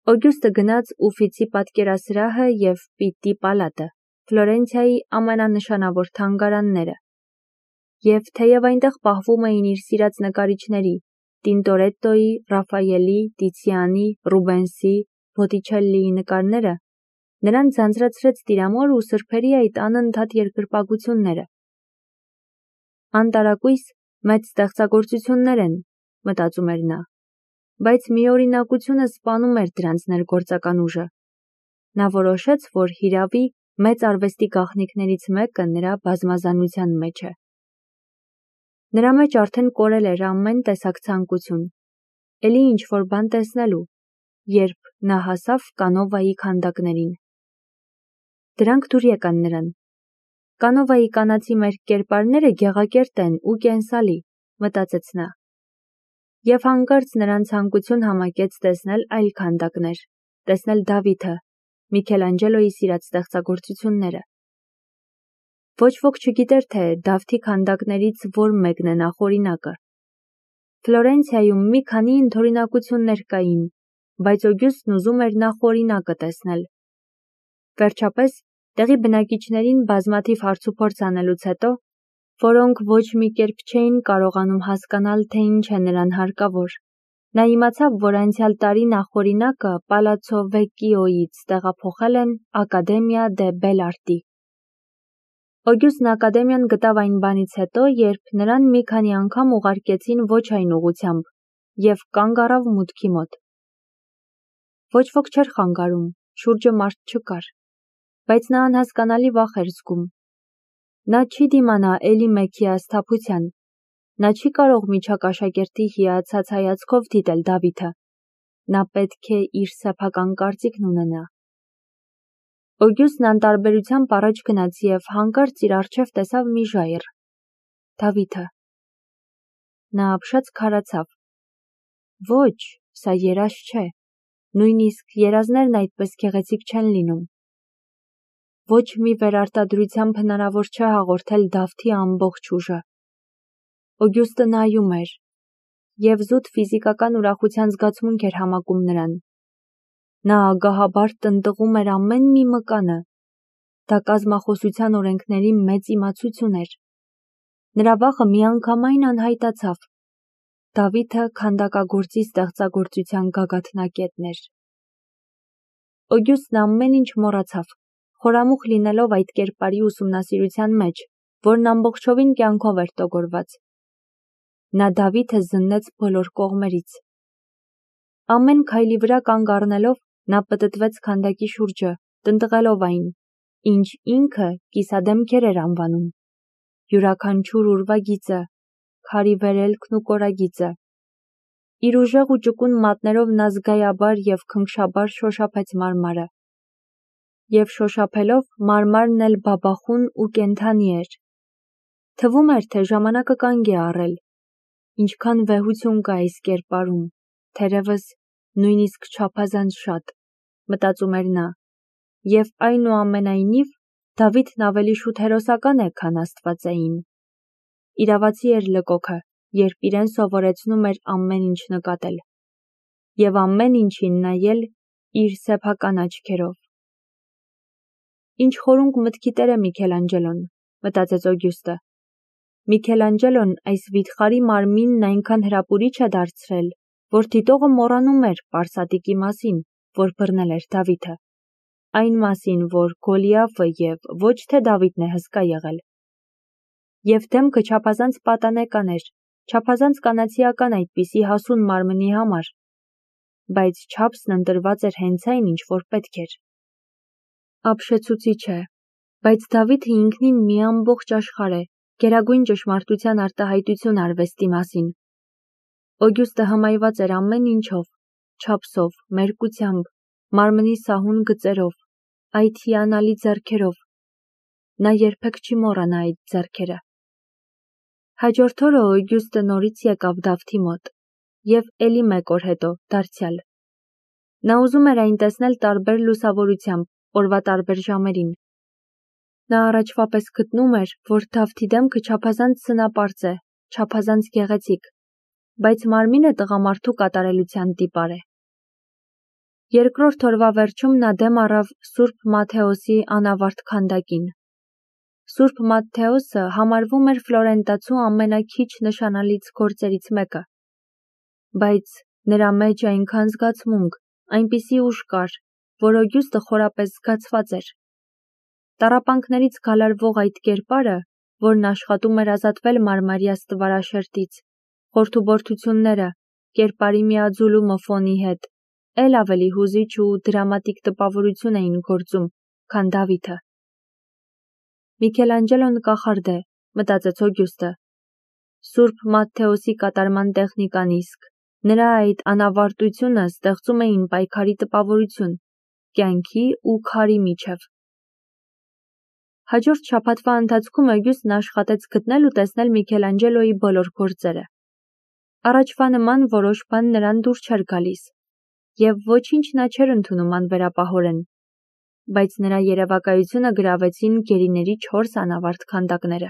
Օգյուստը գնաց Ուֆիցի պատկերասրահը և Պիտտի պալատը, Ֆլորենցիայի ամենանշանավոր թանգարանները, և թեև այնտեղ պահվում էին իր սիրած նկարիչների՝ Տինտորետտոյի, Ռաֆայելի, Տիցիանի, Ռուբենսի, Բոտիչելլիի նկարները, նրան ձանձրացրեց տիրամոր ու սրբերի այդ անընդհատ երկրպագությունները։ «Անտարակույս, մեծ ստեղծագործություններ են», մտածում էր նա, բայց միօրինակությունը սպանում էր դրանց ներգործական ուժը։ Նա որոշեց, որ հիրավի մեծ արվեստի գաղտնիքներից մեկը նրա բազմազանության մեջ է։ Նրա մեջ արդեն կորել էր ամեն տեսակ ցանկություն, էլի ինչ-որ բան տեսնելու, երբ նա հասավ Կանովայի քանդակներին։ Դրանք դուր եկան նրան։ Կանովայի կանացի մերկ կերպարները գեղակերտ են ու կենսալի, մտածեց նա։ Եվ հանկարծ նրան ցանկություն համակեց տեսնել այլ քանդակներ, տեսնել Դավիթը, Միքելանջելոյի սիրած ստեղծագործությունները։ Ոչ ոք չգիտեր, թե Դավթի քանդակներից որ մեկն է նախօրինակը։ Ֆլորենցիայում մի քանի ընդօրինակություններ կային, բայց Օգյուստն ուզում էր նախօրինակը տեսնել։ Վերջապես, տեղի բնակիչներին բազմաթիվ հարցուփորձ անելուց հետո, որոնք ոչ մի կերպ չէին կարողանում հասկանալ, թե ինչ է նրան հարկավոր, նա իմացավ, որ անցյալ տարի նախօրինակը Պալացցո Վեկկիոյից տեղափոխել են Ակադեմիա դե Բել Արտի։ Օգյուստն Ակադեմիան գտավ այն բանից հետո, երբ նրան մի քանի անգամ ուղարկեցին ոչ այն ուղղությամբ, և կանգ առավ մուտքի մոտ։ Ոչ ոք չէր խանգարում, շուրջը մարդ չկար, բայց նա անհասկանալի վախ էր զգում։ Նա չի դիմանա էլի մեկ հիասթափության, նա չի կարող միջակ աշակերտի հիացած հայացքով դիտել Դավիթը, նա պետք է իր սեփական կարծիքն ունենա։ Օգյուստն անտարբերությամբ առաջ գնաց և հանկարծ իր առջև տեսավ մի ժայռ։ Դավիթը։ Նա ապշած քարացավ։ Ոչ, սա երազ չէ, նույնիսկ երազներն այդպես գեղեցիկ չեն լինում։ Ոչ մի վերարտադրությամբ հնարավոր չէ հաղորդել Դավթի ամբողջ ուժը։ Օգյուստը նայում էր, և զուտ ֆիզիկական ուրախության զգացմունք էր համակում նրան։ Նա ագահաբար տնտղում էր ամեն մի մկանը։ Դա կազմախոսության օրենքների մեծ իմացություն էր։ Նրա վախը միանգամայն անհայտացավ։ Դավիթը քանդակագործի ստեղծագործության գագաթնակետն էր։ Օգյուստն ամեն ինչ մոռացավ, խորամուխ լինելով այդ կերպարի ուսումնասիրության մեջ, որն ամբողջովին կյանքով էր տոգորված։ Նա Դավիթը զննեց բոլոր կողմերից։ Ամեն քայլի վրա կանգ առնելով, նա պտտվեց քանդակի շուրջը, տնտղելով այն, ինչ ինքը կիսադեմքեր էր անվանում. յուրաքանչյուր ուրվագիծը, քարի վերելքն ու կորագիծը։ Իր ուժեղ ու ճկուն մատներով նա զգայաբար և քնքշաբար շոշափեց մարմարը։ Եվ շոշափելով, մարմարն էլ բաբախուն ու կենդանի էր։ Թվում էր, թե ժամանակը կանգ է առել։ Ինչքան վեհություն կա այս կերպարում, թերևս նույնիսկ չափազանց շատ, մտածում էր նա, և այնուամենայնիվ Դավիթն ավելի շուտ հերոսական է, քան աստվածային։ Իրավացի էր լկոքը, երբ իրեն սովորեցնում էր ամեն ինչ նկատել, և ամեն ինչին նայել իր սեփական աչքերով։ Ինչ խորունկ մտքի տեր է Միքելանջելոն, մտածեց Օգյուստը։ Միքելանջելոն այս վիթխարի մարմինն այնքան հրապուրիչ է դարձրել, որ դիտողը մոռանում էր պարսատիկի մասին, որ բռնել էր Դավիթը, այն մասին, որ Գոլիաֆը և ոչ թե Դավիթն է հսկա եղել։ Եվ դեմքը չափազանց պատանեկան էր, չափազանց կանացիական այդպիսի հասուն մարմնի համար, բայց չափսն ընտրված էր հենց այն, ինչ որ պետք էր։ Ապշեցուցիչ է, բայց Դավիթը ինքնին մի ամբողջ աշխարհ է, գերագույն ճշմարտության արտահայտություն արվեստի մասին։ Օգյուստը հմայված էր ամեն ինչով, չափսով, մերկությամբ, մարմնի սահուն գծերով, այդ հիանալի ձեռքերով։ Նա երբեք չի մոռանա այդ ձեռքերը։ Հաջորդ օրը Օգյուստը նորից եկավ Դավթի մոտ, և էլի մեկ օր հետո, դարձյալ։ Նա ուզում էր այն տեսնել տարբեր լուսավորությամբ, օրվա տարբեր ժամերին։ Նա առաջվա պես գտնում էր, որ Դավթի դեմքը չափազանց սնապարծ է, չափազանց գեղեցիկ, բայց մարմինը տղամարդու կատարելության տիպար է։ Երկրորդ օրվա վերջում նա դեմ առավ Սուրբ Մատթեոսի անավարտ քանդակին։ Սուրբ Մատթեոսը համարվում էր Ֆլորենտացու ամենաքիչ նշանալից գործերից մեկը, բայց նրա մեջ այնքան զգացմունք, այնպիսի ուժ կար, որ Օգյուստը խորապես զգացված էր։ Տառապանքներից գալարվող այդ կերպարը, որն աշխատում էր ազատվել մարմարյա ստվարաշերտից, խորթուբորթությունները, կերպարի միաձուլումը ֆոնի հետ, էլ ավելի հուզիչ ու դրամատիկ տպավորություն էին գործում, քան Դավիթը։ Միքելանջելոն կախարդ է, մտածեց Օգյուստը։ Սուրբ Մատթեոսի կատարման տեխնիկան իսկ, նրա այդ անավարտությունը ստեղծում էին պայքարի տպավորություն, կյանքի ու քարի միջև։ Հաջորդ շաբաթվա ընթացքում Օգյուստն աշխատեց գտնել ու տեսնել Միքելանջելոյի բոլոր գործերը։ Առաջվա նման որոշ բան նրան դուր չէր գալիս, և ոչինչ նա չէր ընդունում անվերապահորեն, բայց նրա երևակայությունը գրավեցին գերիների 4 անավարտ քանդակները։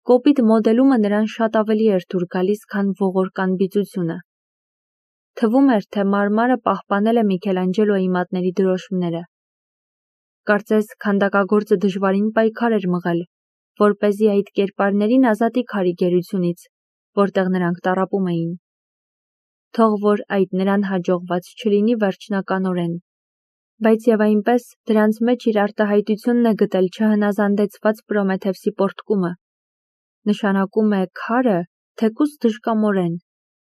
Կոպիտ մոդելումը նրան շատ ավելի էր դուր գալիս, քան ողորկ անբիծությունը։ Թվում էր, թե մարմարը պահպանել է Միքելանջելոյի մատների դրոշմները։ Կարծես քանդակագործը դժվարին պայքար էր մղել, որպեսզի այդ կերպարներին ազատի քարի գերությունից, որտեղ նրանք տառապում էին։ Թող որ այդ նրան հաջողված չլինի վերջնականորեն, բայց եւ այնպես դրանց մեջ իր արտահայտությունն է գտել չհնազանդեցված Պրոմեթևսի պոռթկումը։ Նշանակում է քարը, թեկուզ դժկամորեն,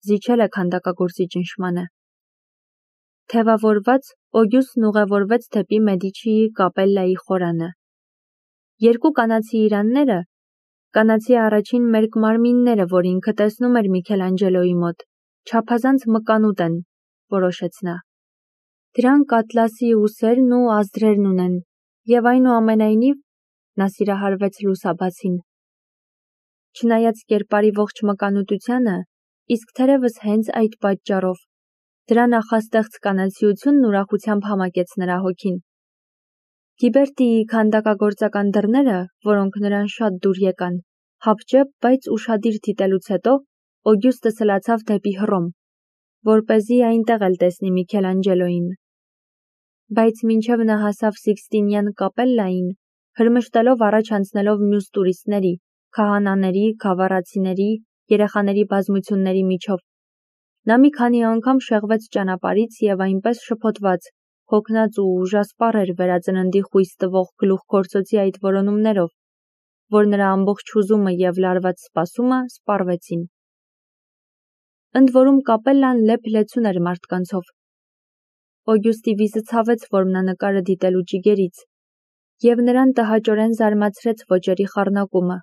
զիջել է քանդակագործի ճնշմանը։ Թևավորված Օգյուստն ուղևորվեց դեպի Մեդիչիի կապելլայի խորանը։ Երկու կանացի իրանները, կանացի առաջին մերկ մարմինները, որ ինքը տեսնում էր Միքելանջելոյի մոտ, չափազանց մկանուտ են, որոշեց նա։ Դրանք ատլասի ուսերն ու ազդրերն ունեն, եւ այնուամենայնիվ նա սիրահարվեց լուսաբացին։ Չնայած կերպարի ողջ մկանուտությանը, իսկ թերևս հենց այդ պատճառով, դրա նախաստեղծ կանացիությունն ուրախությամբ համակեց նրա հոգին։ Գիբերտիի քանդակագործական դռները, որոնք նրան շատ դուր եկան, հապճեպ, բայց ուշադիր դիտելուց հետո Օգյուստը սլացավ դեպի Հռոմ, որպեսզի այնտեղ էլ տեսնի Միքելանջելոյին։ Բայց մինչև նա հասավ Սիքստինյան կապելլային, հրմշտելով առաջ անցնելով մյուս տուրիստների, քահանաների, գավառացիների, երեխաների բազմությունների միջով, նա մի քանի անգամ շեղվեց ճանապարհից եւ այնպես շփոթված, հոգնած ու ուժասպառ էր վերածննդի խույս տվող գլուխգործոցի այդ որոնումներով, որ նրա ամբողջ հուզումը եւ լարված սպասումը սպառվեցին։ Ընդ որում կապելլան լեփ-լեցուն էր մարդկանցով։ Օգյուստի վիզը ցավեց որմնանկարը դիտելու ճիգերից, եւ նրան տհաճորեն զարմացրեց ոճերի խառնակումը։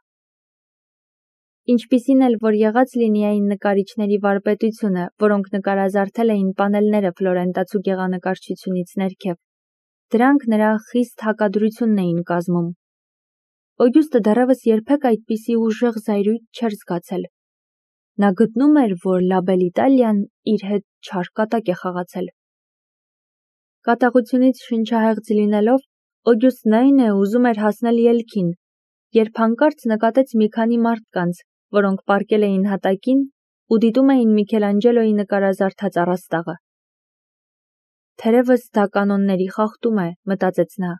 Ինչպիսին էլ որ եղած լինի այն նկարիչների վարպետությունը, որոնք նկարազարդել էին պանելները ֆլորենտացու գեղանկարչությունից ներքև, դրանք նրա խիստ հակադրությունն էին կազմում։ Օգյուստը դեռևս երբեք այդպիսի ուժեղ զայրույթ չէր զգացել։ Նա գտնում էր, որ Լա Բել Իտալիան իր հետ չար կատակ է խաղացել։ Կատաղությունից շնչահեղձ լինելով, Օգյուստն այն է ուզում էր հասնել ելքին, երբ հանկարծ նկատեց մի քանի մարդկանց, որոնք պառկել էին հատակին ու դիտում էին Միքելանջելոյի նկարազարդած առաստաղը։ Թերևս դա կանոնների խախտում է, մտածեց նա,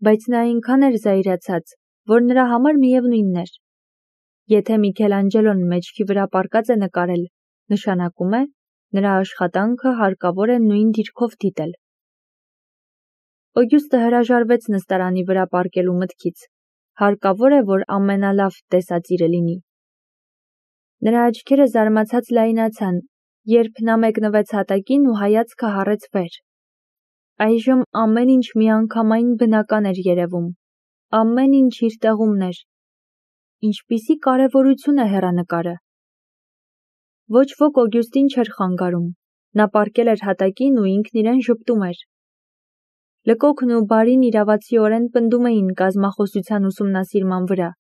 բայց նա այնքան էր զայրացած, որ նրա համար միևնույնն էր։ Եթե Միքելանջելոն մեջքի վրա պառկած է նկարել, նշանակում է, նրա աշխատանքը հարկավոր է նույն դիրքով դիտել։ Օգյուստը հրաժարվեց նստարանի վրա պառկելու մտքից։ Հարկավոր է, որ ամենալավ տեսածիրը լինի։ Նրա աչքերը զարմացած լայնացան, երբ նա մեկնվեց հատակին ու հայացքը հառեց վեր։ Այժմ ամեն ինչ միանգամայն բնական էր երևում, ամեն ինչ իր տեղումն էր։ Ինչպիսի կարևորություն է հեռանկարը։ Ոչ ոք Օգյուստին չէր խանգարում, նա պառկել էր հատակին ու ինքն իրեն ժպտում էր։ Լկոքն ու բարին իրավացիորեն պնդում էին կազմախոսության ուսումնասիրման վրա։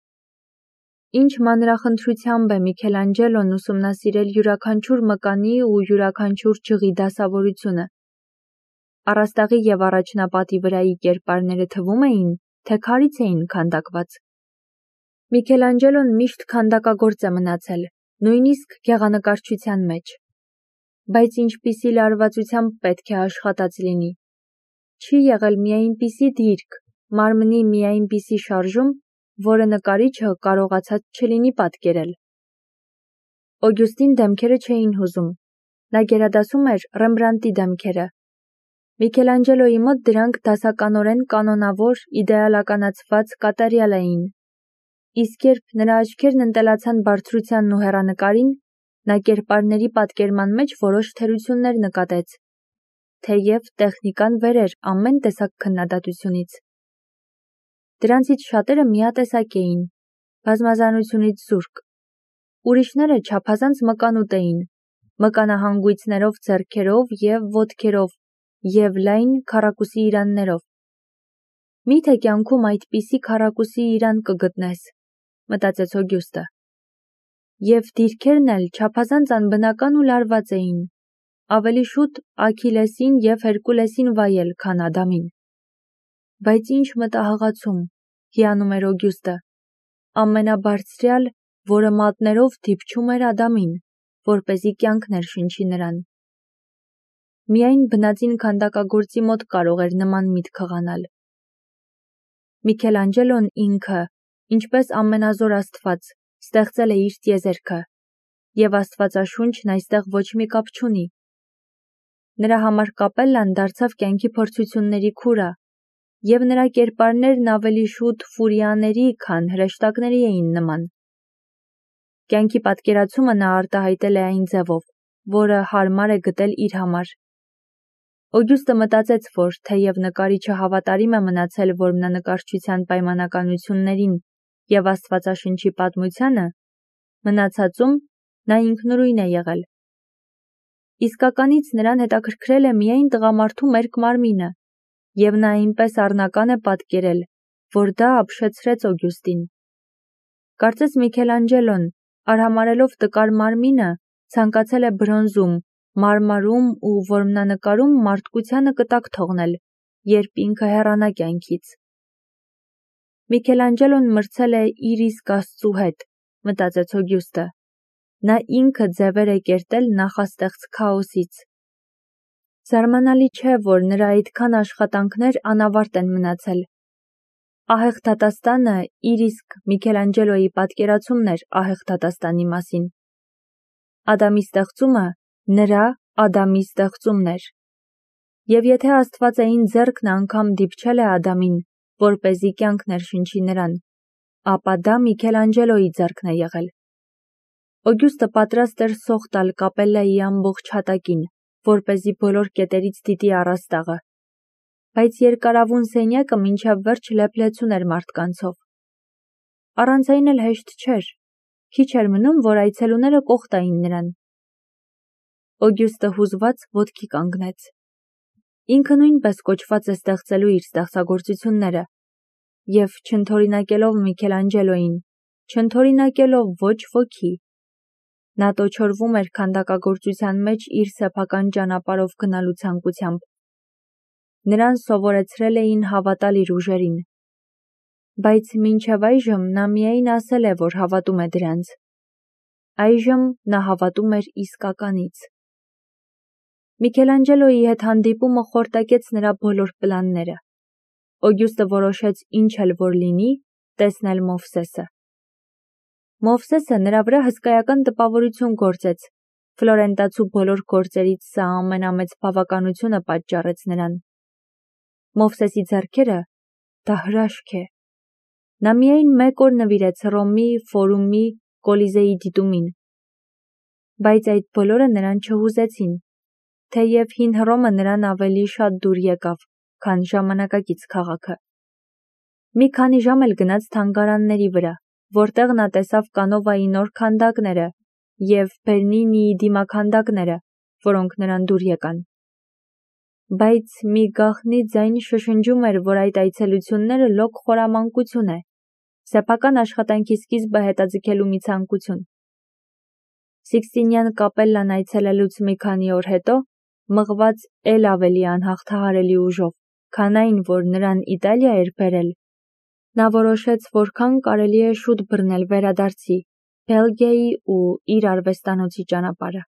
Ինչ մանրախնդրությամբ է Միքելանջելոն ուսումնասիրել յուրաքանչյուր մկանի ու յուրաքանչյուր ջղի դասավորությունը։ Առաստաղի եւ առաջնապատի վրայի կերպարները թվում էին, թե քարից էին քանդակված։ Միքելանջելոն միշտ քանդակագործ է մնացել, նույնիսկ գեղանկարչության մեջ։ Բայց ինչպիսի լարվածությամբ պետք է աշխատած լինի։ Չի եղել մի այնպիսի դիրք, մարմնի մի այնպիսի շարժում, որը նկարիչը կարողացած չլինի պատկերել։ Օգյուստին դեմքերը չէին հուզում, նա գերադասում էր Ռեմբրանտի դեմքերը։ Միքելանջելոյի մոտ դրանք դասականորեն կանոնավոր, իդեալականացված կատարյալ էին։ Իսկ երբ նրա աչքերն ընտելացան բարձրությանն ու հեռանկարին, նա կերպարների պատկերման մեջ որոշ թերություններ նկատեց, թեև տեխնիկան վեր էր ամեն տեսակ քննադատությունից։ Դրանցից շատերը միատեսակ էին, բազմազանությունից զուրկ։ Ուրիշները չափազանց մկանուտ էին, մկանահանգույցներով ձեռքերով և ոտքերով և լայն քառակուսի իրաններով։ Միթե կյանքում այդպիսի քառակուսի իրան կգտնես, մտածեց Օգյուստը։ Եվ դիրքերն էլ չափազանց անբնական ու լարված էին, ավելի շուտ Աքիլեսին և Հերկուլեսին վայել, քան Ադամին։ Բայց ինչ մտահղացում, հիանում էր Օգյուստը, ամենաբարձրյալ, որը մատներով դիպչում էր Ադամին, որպեսզի կյանք ներշնչի նրան։ Միայն բնածին քանդակագործի մոտ կարող էր նման միտք հղանալ։ Միքելանջելոն ինքը, ինչպես ամենազոր Աստված, ստեղծել է իր տիեզերքը, և Աստվածաշունչն այստեղ ոչ մի կապ չունի։ Նրա համար կապելլան դարձավ կյանքի փորձությունների քուրը, և նրա կերպարներն ավելի շուտ ֆուրիաների, քան հրեշտակների էին նման։ Կյանքի պատկերացումը նա արտահայտել է այն ձևով, որը հարմար է գտել իր համար։ Օգյուստը մտածեց, որ թեև նկարիչը հավատարիմ է մնացել որմնանկարչության պայմանականություններին և Աստվածաշնչի պատմությանը, մնացածում նա ինքնուրույն է եղել։ Իսկականից նրան հետաքրքրել է միայն տղամարդու մերկ մարմինը, և նա այնպես առնական է պատկերել, որ դա ապշեցրեց Օգյուստին։ Կարծես Միքելանջելոն, արհամարհելով տկար մարմինը, ցանկացել է բրոնզում, մարմարում ու որմնանկարում մարդկությանը կտակ թողնել, երբ ինքը հեռանա կյանքից։ Միքելանջելոն մրցել է իր իսկ Աստծու հետ, մտածեց Օգյուստը։ Նա ինքը ձևեր է կերտել նախաստեղծ քաոսից։ Զարմանալի չէ, որ նրա այդքան աշխատանքներ անավարտ են մնացել։ Ահեղ դատաստանը իր իսկ Միքելանջելոյի պատկերացումն էր ահեղ դատաստանի մասին։ Ադամի ստեղծումը նրա Ադամի ստեղծումն էր։ Եվ եթե Աստվածային ձեռքն անգամ դիպչել է Ադամին, որպեսզի կյանք ներշնչի նրան, ապա դա Միքելանջելոյի ձեռքն է եղել։ Օգյուստը պատրաստ էր սոխ տալ կապելլայի ամբողջ հատակին, որպեսզի բոլոր կետերից դիտի առաստաղը։ Բայց երկարավուն սենյակը մինչև վերջ լեփլեցուն էր մարդկանցով։ Առանց այն էլ հեշտ չէր, քիչ էր մնում, որ այցելուները կողտային նրան։ Օգյուստը հուզված ոտքի կանգնեց։ Ինքը նույնպես կոչված է ստեղծելու իր ստեղծագործությունները, և չընդօրինակելով Միքելանջելոյին, չընդօրինակելով ոչ ոքի, նա տոչորվում էր քանդակագործության մեջ իր սեփական ճանապարհով գնալու ցանկությամբ։ Նրան սովորեցրել էին հավատալ իր ուժերին։ Բայց մինչև այժմ նա միայն ասել է, որ հավատում է դրանց։ Այժմ նա հավատում էր իսկականից։ Միքելանջելոյի հետ հանդիպումը խորտակեց նրա բոլոր պլանները։ Օգյուստը որոշեց ինչ էլ որ լինի, տեսնել Մովսեսը։ Մովսեսը նրա վրա հսկայական տպավորություն գործեց, Ֆլորենտացու բոլոր գործերից սա ամենամեծ բավականությունը պատճառեց նրան։ Մովսեսի ձեռքերը դա հրաշք է։ Նա միայն մեկ օր նվիրեց Հռոմի Ֆորումի Կոլիզեի դիտումին։ Բայց այդ բոլորը նրան չհուզեցին, թեև հին Հռոմը նրան ավելի շատ դուր եկավ, քան ժամանակակից քաղաքը։ Մի քանի ժամ էլ գնաց թանգարանների վրա, որտեղ նա տեսավ Կանովայի նոր քանդակները և Բեռնինիի դիմաքանդակները, որոնք նրան դուր եկան։ Բայց մի գաղտնի ձայն շշնջում էր, որ այդ այցելությունները լոկ խորամանկություն է, սեփական աշխատանքի սկիզբը հետաձգելու մի ցանկություն։ Սիկստինյան կապելլան այցելելուց մի քանի օր հետո, մղված էլ ավելի անհաղթահարելի ուժով, քան այն, որ նրան Իտալիա էր բերել, նա որոշեց որքան կարելի է շուտ բռնել վերադարձի, Բելգիայի ու իր արվեստանոցի ճանապարհը։